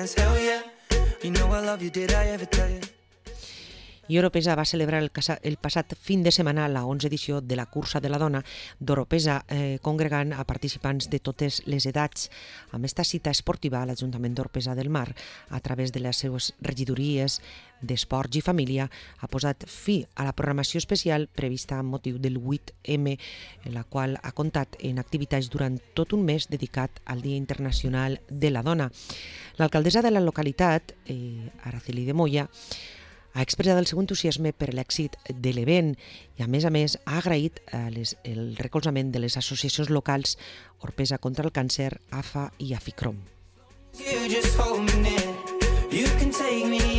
hands, hell yeah. You know I love you, did I ever tell you? I Oropesa va celebrar el passat fin de setmana la 11ª edició de la Cursa de la Dona d'Oropesa, congregant a participants de totes les edats. Amb esta cita esportiva, l'Ajuntament d'Oropesa del Mar, a través de les seues regidories d'Esports i Família, ha posat fi a la programació especial prevista amb motiu del 8M, la qual ha comptat en activitats durant tot un mes dedicat al Dia Internacional de la Dona. L'alcaldessa de la localitat, Araceli de Moya, ha expressat el seu entusiasme per l'èxit de l'event i, a més, ha agraït el recolzament de les associacions locals Oropesa contra el Càncer, AFA i Aficrom. You just hold me near.